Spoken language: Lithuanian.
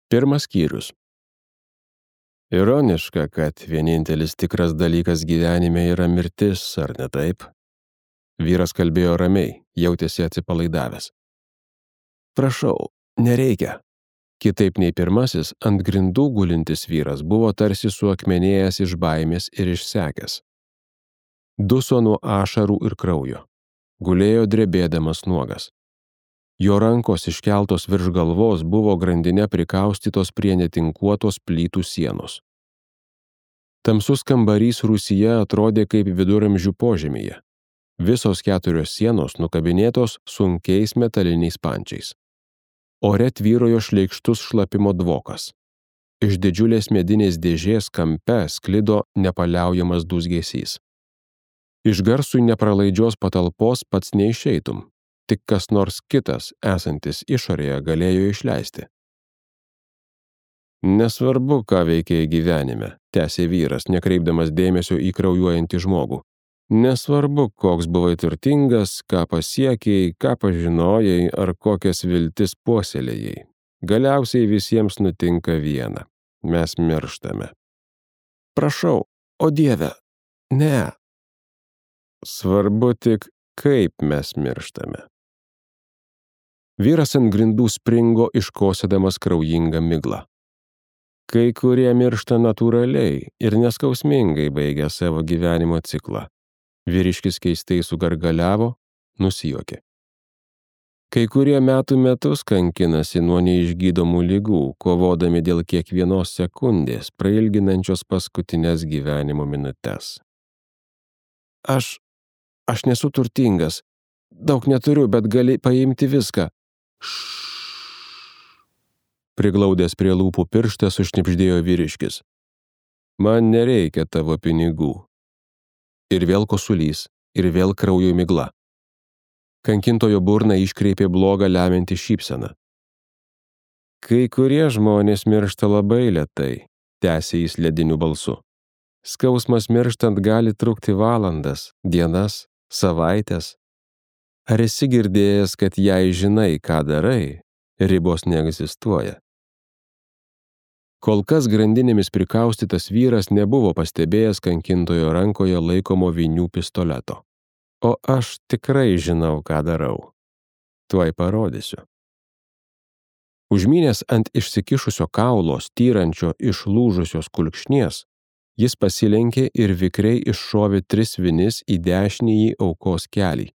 Pirmas skyrius. Ironiška, kad vienintelis tikras dalykas gyvenime yra mirtis, ar ne taip? Vyras kalbėjo ramiai, jautėsi atsipalaidavęs. Prašau, nereikia. Kitaip nei pirmasis, ant grindų gulintis vyras buvo tarsi suakmenėjęs iš baimės ir išsekęs. Duso nuo ašarų ir kraujo. Gulėjo drebėdamas nuogas. Jo rankos iškeltos virš galvos buvo grandine prikaustytos prie netinkuotos plytų sienos. Tamsus kambarys rūsyje atrodė kaip viduramžių požemyje. Visos 4 sienos nukabinėtos sunkiais metaliniais pančiais. Ore tvyrojo šleikštus šlapimo dvokas. Iš didžiulės medinės dėžės kampe sklido nepaliaujamas dūzgesys. Iš garsui nepralaidžios patalpos pats neišeitum. Tik kas nors kitas, esantis išorėje, galėjo išleisti. Nesvarbu, ką veikėjai gyvenime, tęsė vyras, nekreipdamas dėmesio į kraujuojantį žmogų. Nesvarbu, koks buvai turtingas, ką pasiekėjai, ką pažinojai ar kokias viltis puoselėjai. Galiausiai visiems nutinka viena. Mes mirštame. Prašau, o Dieve, ne. Svarbu tik, kaip mes mirštame. Vyras ant grindų springo, iškosėdamas kraujingą miglą. Kai kurie miršta natūraliai ir neskausmingai baigia savo gyvenimo ciklą. Vyriškis keistai sugargaliavo, nusijuokė. Kai kurie metų metus kankinasi nuo neišgydomų ligų, kovodami dėl kiekvienos sekundės, prailginančios paskutinės gyvenimo minutes. Aš nesu turtingas. Daug neturiu, bet gali paimti viską. Priglaudęs prie lūpų pirštą sušnibždėjo vyriškis. Man nereikia tavo pinigų. Ir vėl kosulys, ir vėl kraujo migla. Kankintojo burną iškreipė blogą lemiantį šypseną. Kai kurie žmonės miršta labai lėtai, tęsė jis lediniu balsu. Skausmas mirštant gali trukti valandas, dienas, savaitės. Ar esi girdėjęs, kad jei žinai, ką darai, ribos neegzistuoja? Kol kas grandinėmis prikaustytas vyras nebuvo pastebėjęs kankintojo rankoje laikomo vinių pistoleto. O aš tikrai žinau, ką darau. Tuoj parodysiu. Užmynęs ant išsikišusio kaulo, styrančio iš lūžusios kulkšnies, jis pasilenkė ir vikriai iššovė 3 vinis į dešinįjį aukos kelį.